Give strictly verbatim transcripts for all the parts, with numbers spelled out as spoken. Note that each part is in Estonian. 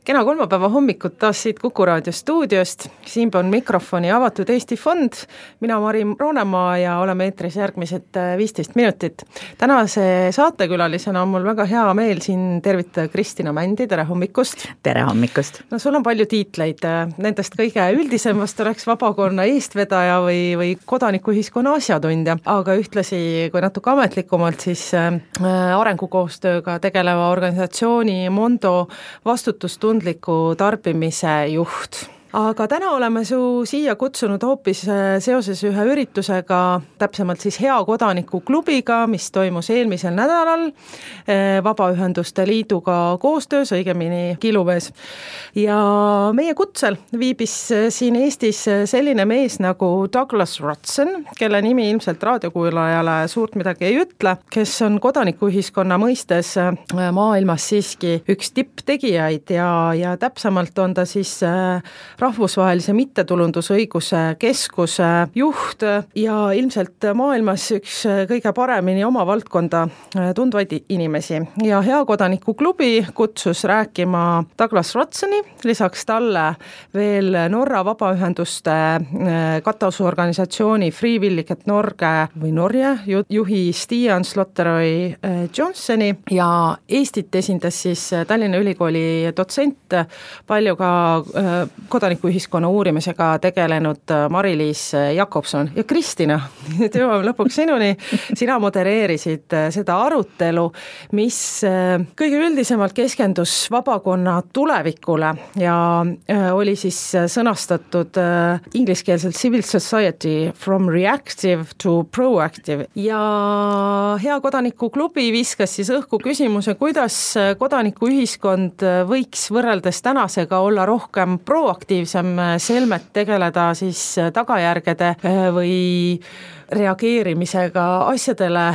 Kena kolmapäeva hommikut taas siit Kuku Raadio stuudiost. Siinpool mikrofoni avatud Eesti Fond. Mina Mari Roonemaa ja oleme eetris järgmised viisteist minutit. Tänase saatekülalisena on mul väga hea meel siin tervitada Kristina Mändi. Tere hommikust! Tere hommikust! No sul on palju tiitleid. Nendest kõige üldisemast oleks vabakonna eestvedaja või, või kodanikuühiskonna asjatundja. Aga ühtlasi, kui natuke ametlikumalt, siis arengukoostööga tegeleva organisatsiooni Mondo vastutustundliku tarbimise juht. Aga täna oleme su siia kutsunud hoopis seoses ühe üritusega, täpsemalt siis Hea kodaniku klubiga, mis toimus eelmisel nädalal Vabaühenduste Liiduga koostöös, õigemini Kiluvees. Ja meie kutsel viibis siin Eestis selline mees nagu Douglas Rutzen, kelle nimi ilmselt raadiokuulajale suurt midagi ei ütle, kes on kodanikuühiskonna mõistes maailmas siiski üks tipptegijaid ja, ja täpsemalt on ta siis rahvusvahelise mittetulundusõiguse keskuse juht ja ilmselt maailmas üks kõige paremini oma valdkonda tundvaid inimesi. Ja Hea kodaniku klubi kutsus rääkima Douglas Rutzeni, lisaks talle veel Norra vabaühenduste katasorganisatsiooni Frivilliget Norge või Norge juhi Stian Slotteroi Johnsoni ja Eestit esindas siis Tallinna Ülikooli dotsent, palju ka kodanik ühiskonna uurimisega tegelenud Mari-Liis Jakobson ja Kristina, nüüd jõuame lõpuks sinuni. Sina modereerisid seda arutelu, mis kõige üldisemalt keskendus vabakonna tulevikule ja oli siis sõnastatud ingliskeelselt Civil Society from Reactive to Proactive. Ja Hea kodaniku klubi viskas siis õhku küsimuse, kuidas kodanikuühiskond võiks võrreldes tänasega olla rohkem proaktiivne, selmet tegeleda siis tagajärgede või reageerimisega asjadele,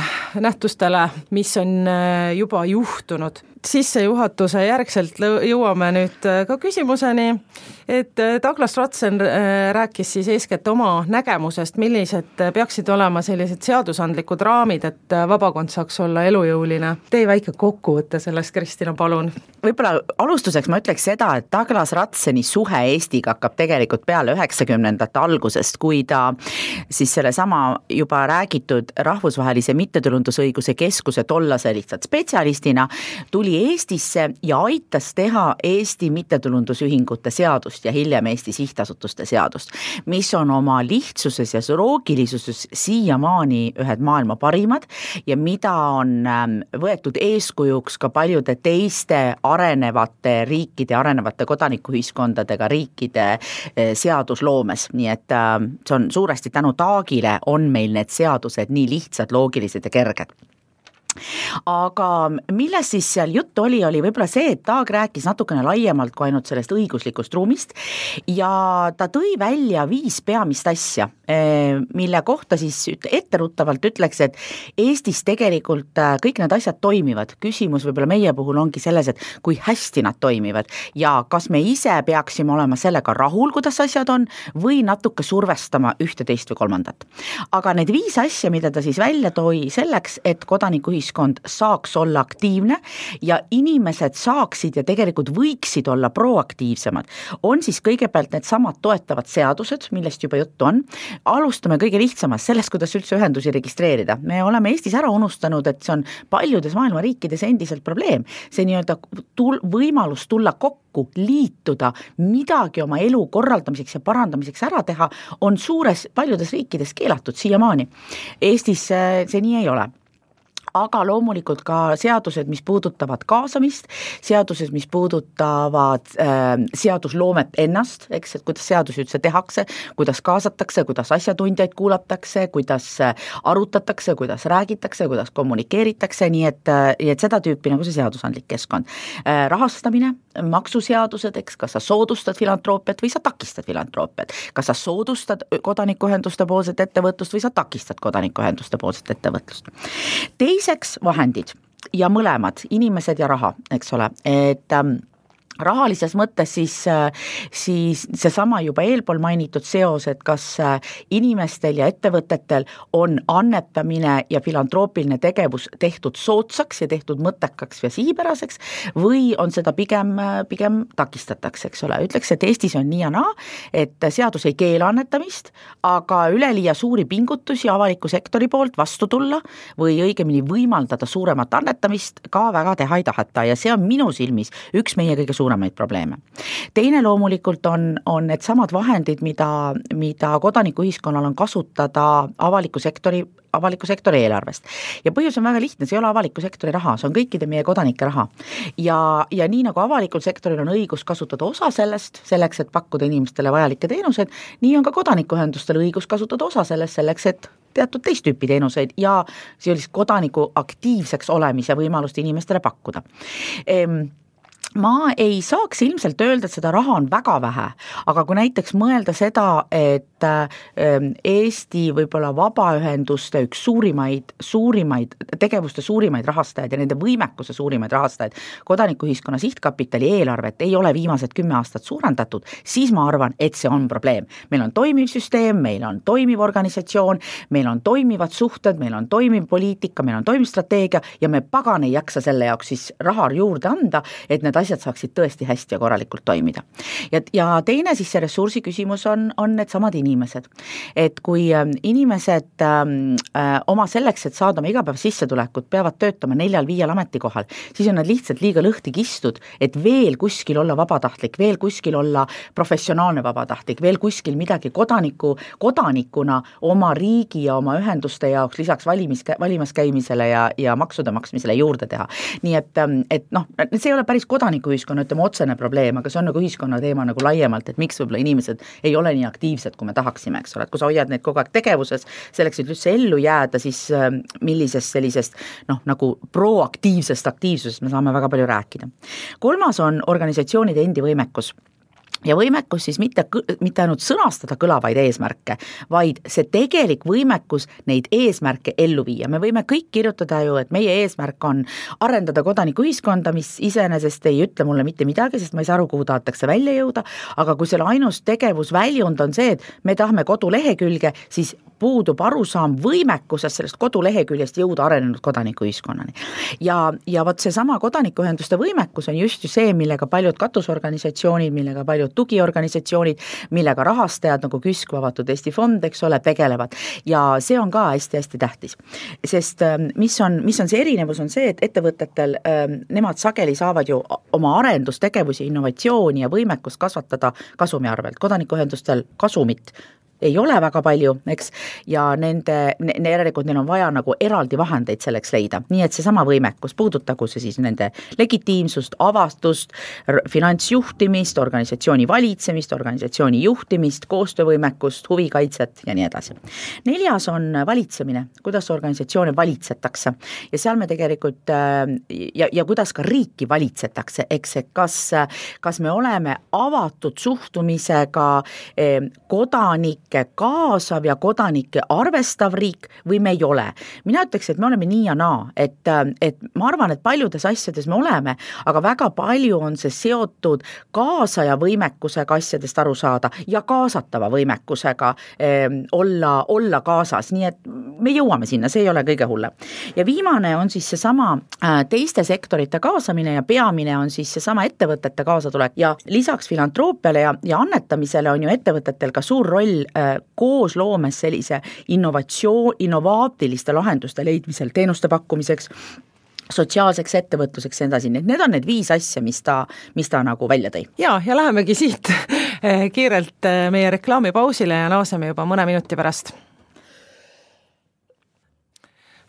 nähtustele, mis on juba juhtunud. Sissejuhatuse järgselt jõuame nüüd ka küsimuseni, et Douglas Rutzen rääkis siis eeskätt oma nägemusest, millised peaksid olema sellised seadusandlikud raamid, et vabakond saaks olla elujõuline. Tee väike kokkuvõtte sellest, Kristina, palun. Võib-olla alustuseks ma ütleks seda, et Douglas Rutzeni suhe Eestiga hakkab tegelikult peale üheksakümnendate algusest, kui ta siis selle sama juba räägitud rahvusvahelise mittetulundusõiguse keskuse tollase lihtsalt spetsialistina tuli Eestisse ja aitas teha Eesti mittetulundusühingute seadust ja hiljem Eesti sihtasutuste seadust, mis on oma lihtsuses ja loogilisuses siiamaani ühed maailma parimad ja mida on võetud eeskujuks ka paljude teiste arenevate riikide, arenevate kodanikuühiskondadega riikide seadusloomes. Nii et see on suuresti tänu Taagile on meil need seadused nii lihtsad, loogilised ja kerged. Aga milles siis seal juttu oli, oli võib-olla see, et Taag rääkis natukene laiemalt kui ainult sellest õiguslikust ruumist ja ta tõi välja viis peamist asja, mille kohta siis etteruttavalt ütleks, et Eestis tegelikult kõik need asjad toimivad. Küsimus võib-olla meie puhul ongi selles, et kui hästi nad toimivad ja kas me ise peaksime olema sellega rahul, kuidas asjad on, või natuke survestama ühte, teist või kolmandat. Aga need viis asja, mida ta siis välja toi selleks, et kodanikuühiskond saaks olla aktiivne ja inimesed saaksid ja tegelikult võiksid olla proaktiivsemad, on siis kõigepealt need samad toetavad seadused, millest juba juttu on. Alustame kõige lihtsamast sellest, kuidas üldse ühendusi registreerida. Me oleme Eestis ära unustanud, et see on paljudes maailma riikides endiselt probleem. See nii-öelda tul- võimalus tulla kokku, liituda, midagi oma elu korraldamiseks ja parandamiseks ära teha, on suures paljudes riikides keelatud siiamaani. Eestis see nii ei ole. Aga loomulikult ka seadused, mis puudutavad kaasamist, seadused, mis puudutavad äh, seadusloomet ennast, eks, et kuidas seadusi üldse tehakse, kuidas kaasatakse, kuidas asjatundjaid kuulatakse, kuidas arutatakse, kuidas räägitakse, kuidas kommunikeeritakse, nii et, et seda tüüpi nagu see seadusandlik keskkond. Äh, rahastamine, maksuseadused, eks, kas sa soodustad filantroppiat või sa takistad filantroppiat, kas sa soodustad kodanikuühenduste poolset ettevõtlust või sa takistad kodanikuühenduste poolset ettevõtlust. Teiseks vahendid ja mõlemad, inimesed ja raha, eks ole, et ähm, rahalises mõttes siis, siis seesama juba eelpool mainitud seos, et kas inimestel ja ettevõtetel on annetamine ja filantroppiline tegevus tehtud soodsaks ja tehtud mõttekaks ja sihipäraseks või on seda pigem, pigem takistatakse, eks ole. Ütleks, et Eestis on nii ja naa, et seadus ei keela annetamist, aga üleliia suuri pingutusi avaliku sektori poolt vastu tulla või õigemini võimaldada suuremat annetamist ka väga teha ei taheta ja see on minu silmis üks meie kõige suuremaid probleeme. Teine loomulikult on, on need samad vahendid, mida, mida kodanikuühiskonnal on kasutada avaliku sektori, avaliku sektori eelarvest. Ja põhjus on väga lihtne, see ei ole avaliku sektori raha, see on kõikide meie kodanike raha. Ja, ja nii nagu avalikul sektoril on õigus kasutada osa sellest, selleks, et pakkuda inimestele vajalikke teenused, nii on ka kodanikuühendustel õigus kasutada osa sellest, selleks, et teatud teist tüüpi teenuseid ja sellist kodaniku aktiivseks olemise võimalust inimestele pakkuda. Ehm, ma ei saaks ilmselt öelda, et seda raha on väga vähe, aga kui näiteks mõelda seda, et Eesti võib-olla vabaühenduste üks suurimaid, suurimaid tegevuste suurimaid rahastajaid ja nende võimekuse suurimaid rahastajaid, kodanikuühiskonna sihtkapitali eelarvet ei ole viimased kümme aastat suurendatud, siis ma arvan, et see on probleem. Meil on toimiv süsteem, meil on toimiv organisatsioon, meil on toimivad suhted, meil on toimiv poliitika, meil on toimiv strateegia ja me pagan ei jaksa selle jaoks siis raha juurde anda, et need asjad saaksid tõesti hästi ja korralikult toimida. Ja, ja teine siis see ressursi küsimus on, on need samad inimesed. Et kui inimesed äh, oma selleks, et saada oma igapäeva sissetulekut, peavad töötama neljal-viiel ametikohal, siis on nad lihtsalt liiga lõhti kistud, et veel kuskil olla vabatahtlik, veel kuskil olla professionaalne vabatahtlik, veel kuskil midagi kodaniku, kodanikuna oma riigi ja oma ühenduste jaoks lisaks valimis, valimas käimisele ja, ja maksude maksmisele juurde teha. Nii et, et noh, see ei ole päris kodanikuühiskonna, ütleme otsene probleem, aga see on nagu ühiskonna teema nagu laiemalt, et miks võib-olla inimesed ei ole nii aktiivsed, kui me tahaksime, eks ole, et kui sa hoiad neid kogu aeg tegevuses, selleks, et üldse ellu jääda, siis millisest sellisest noh, nagu proaktiivsest aktiivsusest me saame väga palju rääkida. Kolmas on organisatsioonide endi võimekus. Ja võimekus siis mitte, mitte ainult sõnastada kõlavaid eesmärke, vaid see tegelik võimekus neid eesmärke ellu viia. Me võime kõik kirjutada ju, et meie eesmärk on arendada kodanikuühiskonda, mis iseenesest ei ütle mulle mitte midagi, sest ma ei saa aru, kuhu tahetakse välja jõuda, aga kui selle ainus tegevusväljund on see, et me tahame kodulehekülge, siis puudub arusaam võimekusest sellest koduleheküljest jõuda arenenud kodanikuühiskonnani. Ja, ja vot see sama kodanikuühenduste võimekus on just ju see, millega paljud katusorganisatsioonid, millega paljud tugiorganisatsioonid, millega rahastajad nagu KÜSK, Avatud Eesti Fond, eks ole, tegelevad. Ja see on ka hästi-hästi tähtis. Sest mis on, mis on see erinevus, on see, et ettevõtetel nemad sageli saavad ju oma arendustegevusi, innovatsiooni ja võimekust kasvatada kasumi arvelt. Kodanikuühendustel kasumit ei ole väga palju, eks, ja nende, ne, järelikult neil on vaja nagu eraldi vahendeid selleks leida. Nii et see sama võimekus puudutagu see siis nende legitiimsust, avastust, finantsjuhtimist, organisatsiooni valitsemist, organisatsiooni juhtimist, koostöövõimekust, huvikaitset ja nii edasi. Neljas on valitsemine, kuidas organisatsioone valitsetakse ja seal me tegelikult ja, ja kuidas ka riiki valitsetakse, eks, kas, kas me oleme avatud suhtumisega kodanik kaasav ja kodanikke arvestav riik või me ei ole. Mina ütleks, et me oleme nii ja naa, et, et ma arvan, et paljudes asjades me oleme, aga väga palju on see seotud kaasaja võimekusega asjadest aru saada ja kaasatava võimekusega eh, olla, olla kaasas, nii et me jõuame sinna, see ei ole kõige hullem. Ja viimane on siis seesama äh, teiste sektorite kaasamine ja peamine on siis seesama ettevõtete kaasatulek ja lisaks filantroppiale ja, ja annetamisele on ju ettevõtetel ka suur roll koos loomes sellise innovatsioon, innovaatiliste lahenduste leidmisel, teenuste pakkumiseks, sotsiaalseks ettevõtluseks ja edasi. Need on need viis asja, mis ta, mis ta nagu välja tõi. Ja, ja lähemegi siit kiirelt meie reklaamipausile ja naaseme juba mõne minuti pärast.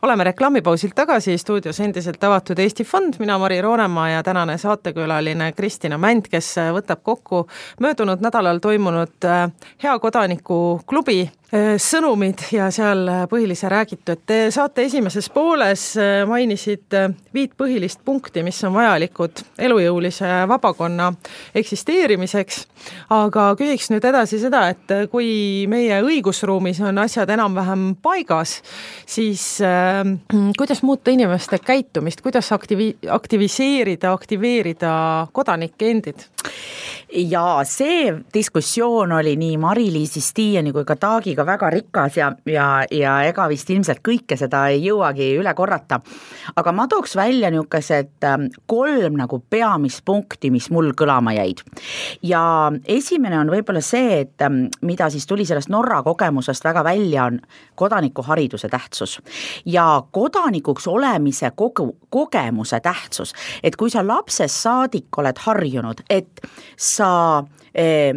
Oleme reklaamipausilt tagasi, stuudios endiselt Avatud Eesti Fond, mina Mari Roonemaa ja tänane saatekülaline Kristina Mänd, kes võtab kokku möödunud nädalal toimunud Hea kodaniku klubi sõnumid ja seal põhilise räägitu, et te saate esimeses pooles mainisid viit põhilist punkti, mis on vajalikud elujõulise vabakonna eksisteerimiseks, aga küsiks nüüd edasi seda, et kui meie õigusruumis on asjad enam-vähem paigas, siis äh, kuidas muuta inimeste käitumist, kuidas aktivi- aktiviseerida, aktiveerida kodanikke endid? Ja see diskussioon oli nii Mari-Liisi Stiiani kui ka Taagiga väga rikas ja, ja, ja ega vist ilmselt kõike seda ei jõuagi üle korrata. Aga ma tooks välja niisugused kolm nagu peamist punkti, mis mul kõlama jäid. Ja esimene on võib-olla see, et mida siis tuli sellest Norra kogemusest väga välja, on kodanikuhariduse tähtsus. Ja kodanikuks olemise kogu, kogemuse tähtsus. Et kui sa lapsest saadik oled harjunud, et sa eh,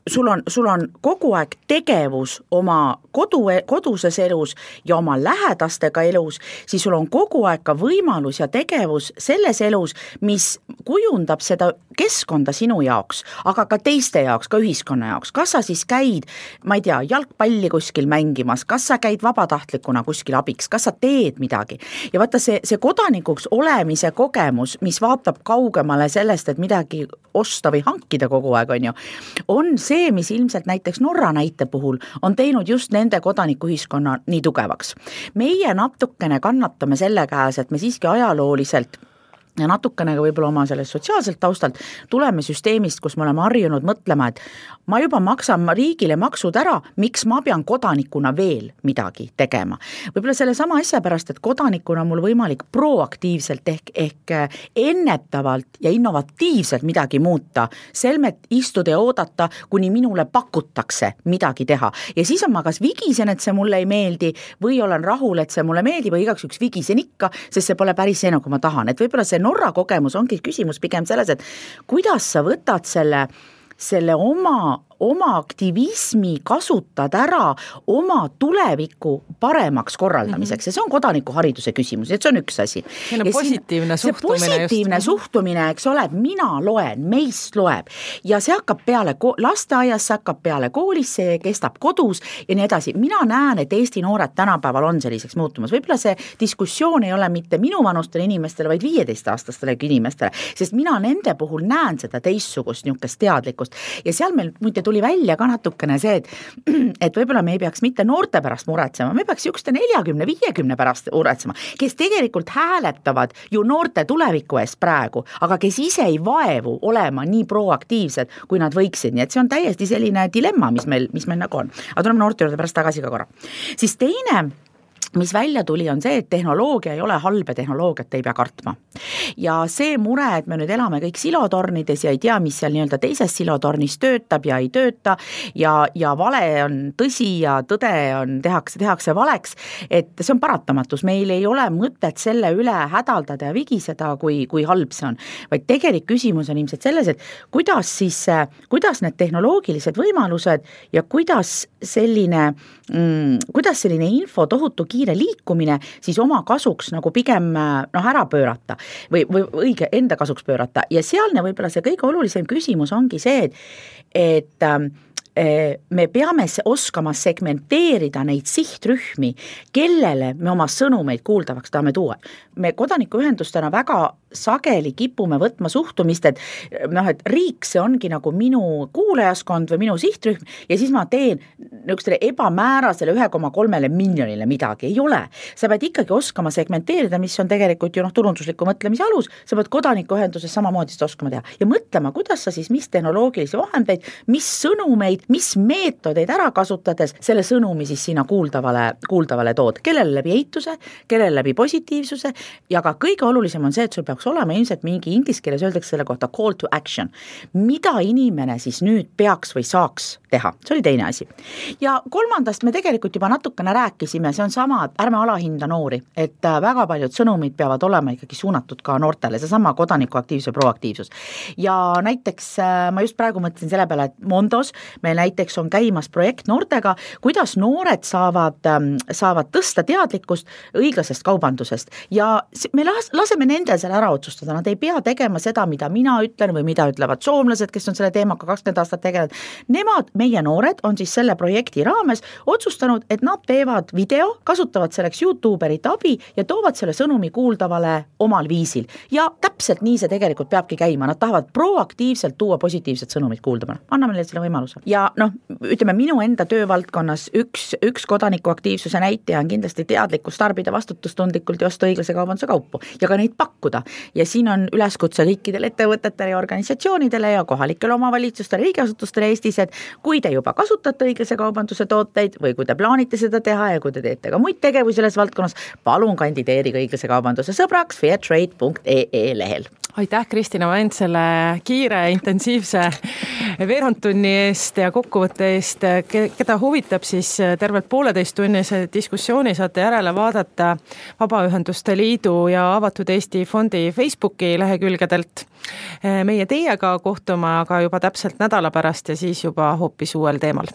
sul on, sul on kogu aeg tegevus oma kodu, koduses elus ja oma lähedastega elus, siis sul on kogu aeg ka võimalus ja tegevus selles elus, mis kujundab seda keskkonda sinu jaoks, aga ka teiste jaoks, ka ühiskonna jaoks. Kas sa siis käid, ma ei tea, jalgpalli kuskil mängimas, kas sa käid vabatahtlikuna kuskil abiks, kas sa teed midagi. Ja vaata see, see kodanikuks olemise kogemus, mis vaatab kaugemale sellest, et midagi osta või hankida kogu aeg, on ju, on see, mis ilmselt näiteks Norra näite puhul on teinud just nende kodanikuühiskonna nii tugevaks. Meie natukene kannatame selle käes, et me siiski ajalooliselt ja natukene võib-olla oma sellest sotsiaalselt taustalt tuleme süsteemist, kus me oleme harjunud mõtlema, et ma juba maksan riigile maksud ära, miks ma pean kodanikuna veel midagi tegema. Võib-olla selle sama asja pärast, et kodanikuna on mul võimalik proaktiivselt ehk, ehk ennetavalt ja innovatiivselt midagi muuta, selmet istuda ja oodata, kuni minule pakutakse midagi teha. Ja siis on ma kas vigisen, et see mulle ei meeldi või olen rahul, et see mulle meeldib või igaks üks vigisen ikka, sest see pole päris see, nagu ma tahan. Et võib-olla see Norra kogemus ongi küsimus pigem selles, et kuidas sa võtad selle, selle oma, oma aktivismi kasutad ära oma tuleviku paremaks korraldamiseks. Ja see on kodanikuhariduse küsimus, et see on üks asi. See on positiivne siin, suhtumine. See positiivne just. suhtumine, eks ole, et mina loen, meist loeb ja see hakkab peale lasteaias, see hakkab peale koolis, see kestab kodus ja nii edasi. Mina näen, et Eesti noored tänapäeval on selliseks muutumas. Võib-olla see diskussioon ei ole mitte minu vanustele inimestele, vaid viieteist-aastastele inimestele, sest mina nende puhul näen seda teistsugust niisugust teadlikkust ja seal meil muide tuli välja ka natukene see, et, et võib-olla me ei peaks mitte noorte pärast muretsema, me peaks just neljakümne viiekümne pärast muretsema, kes tegelikult hääletavad ju noorte tuleviku eest praegu, aga kes ise ei vaevu olema nii proaktiivsed, kui nad võiksid, nii et see on täiesti selline dilemma, mis meil, mis meil nagu on. Aga tuleme noorte juurde pärast tagasi ka korra. Siis teine mis välja tuli, on see, et tehnoloogia ei ole halb ja tehnoloogiat ei pea kartma. Ja see mure, et me nüüd elame kõik silotornides ja ei tea, mis seal nii-öelda teises silotornis töötab ja ei tööta ja, ja vale on tõsi ja tõde on, tehakse, tehakse valeks, et see on paratamatus. Meil ei ole mõtet selle üle hädaldada ja vigiseda, kui, kui halb see on. Vaid tegelik küsimus on ilmselt selles, et kuidas siis, kuidas need tehnoloogilised võimalused ja kuidas selline, mm, kuidas selline info tohutu kiire liikumine siis oma kasuks nagu pigem noh, ära pöörata või, või õige enda kasuks pöörata ja sealne võib-olla see kõige olulisem küsimus ongi see, et, et me peame oskama segmenteerida neid sihtrühmi, kellele me oma sõnumeid kuuldavaks tahame tuua. Me kodanikuühendustena väga sageli kipume võtma suhtumist, et noh, et riik see ongi nagu minu kuulajaskond või minu sihtrühm ja siis ma teen niisugustele ebamäärasele ühe koma kolmele miljonile midagi. Ei ole. Sa pead ikkagi oskama segmenteerida, mis on tegelikult ju noh, turundusliku mõtlemise alus, sa pead kodanikuühenduses samamoodi seda oskama teha ja mõtlema, kuidas sa siis mis tehnoloogilisi vahendeid, mis sõnumeid, mis meetodeid ära kasutades selle sõnumi siis sinna kuuldavale, kuuldavale tood. Kellele läbi eituse, kellele läbi positiivsuse ja ka kõige olulisem on see, et sul peaks olema ilmselt mingi inglise keeles öeldakse selle kohta call to action. Mida inimene siis nüüd peaks või saaks teha? See oli teine asi. Ja kolmandast me tegelikult juba natukene rääkisime, see on sama, et ärme alahinda noori, et väga paljud sõnumid peavad olema ikkagi suunatud ka noortele, see sama kodanikuaktiivsus ja proaktiivsus. Ja näiteks ma just praegu mõtlesin selle peale, et Mondos meil näiteks on käimas projekt noortega, kuidas noored saavad, saavad tõsta teadlikkust õiglasest kaubandusest ja me laseme nendel seal ära otsustada, nad ei pea tegema seda, mida mina ütlen või mida ütlevad soomlased, kes on selle teemaga kakskümmend aastat tegelenud. Nemad, meie noored, on siis selle projekti raames otsustanud, et nad teevad video, kasutavad selleks YouTuberit abi ja toovad selle sõnumi kuuldavale omal viisil. Ja täpselt nii see tegelikult peabki käima, nad tahavad proaktiivselt tuua positiivset sõnumit kuuldavale. Anname neile selle võimaluse. Ja noh, ütleme minu enda töövaldkonnas üks, üks kodanikuaktiivsuse näitaja on kindlasti teadlikkus tarbida vastutustundlikult ja osta õiglase kaubanduse kaupu ja ka neid pakkuda. Ja siin on üleskutse kõikidele ettevõtetele ja organisatsioonidele ja kohalikele omavalitsustele, riigiasutustele Eestis, et kui te juba kasutate õiglase kaubanduse tooteid või kui te plaanite seda teha ja kui te teete ka muid tegevusi selles valdkonnas, palun kandideerige õiglase kaubanduse sõbraks fairtrade punkt ee ee lehel. Aitäh, Kristina Vent, selle kiire, intensiivse veerandtunni eest ja kokkuvõtte eest. Keda huvitab, siis tervelt pooleteist tunnise diskussiooni saate järele vaadata Vabaühenduste Liidu ja Avatud Eesti fondi Facebooki lehekülgedelt. Meie teiega kohtume aga juba täpselt nädala pärast ja siis juba hoopis uuel teemal.